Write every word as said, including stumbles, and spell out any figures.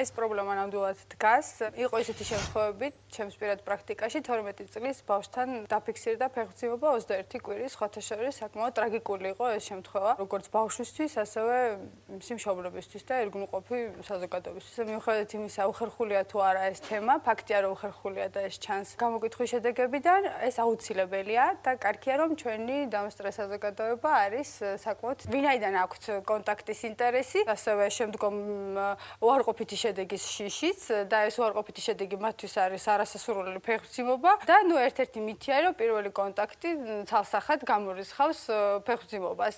ეს პრობლემა ნამდვილად დგას. იყო ისეთი შემთხვევები, ჩემს პირად პრაქტიკაში თორმეტი წლის ბავშვთან დაფიქსირდა ფეხმძიმობა ოცდაერთი კვირის, სხვათა შორის საკმაოდ ტრაგიკული იყო ეს შემთხვევა, როგორც ბავშვისთვის, ასევე მისი მშობლებისთვის და ერთგულყოფი საზოგადოებისთვის. მიუხედავად იმისა, უხერხულია თუ არა ეს თემა, ფაქტია, რომ უხერხულია და ეს ჩანს გამოკითხვის შედეგებიდან, ეს აუცილებელია და კარგია, რომ ჩვენი დამსწრე საზოგადოება არის საკმაოდ ვინაიდან აქვთ კონტაქტის ინტერესი, ასევე შემდგომ უარყოფითი შედეგის შიშიც და ეს უარყოფითი შედეგი მათთვის არის არასასურველი ფეხმძიმობა და ნუ ერთ-ერთი მითია, რომ პირველი კონტაქტი ცალსახად გამორიცხავს ფეხმძიმობას.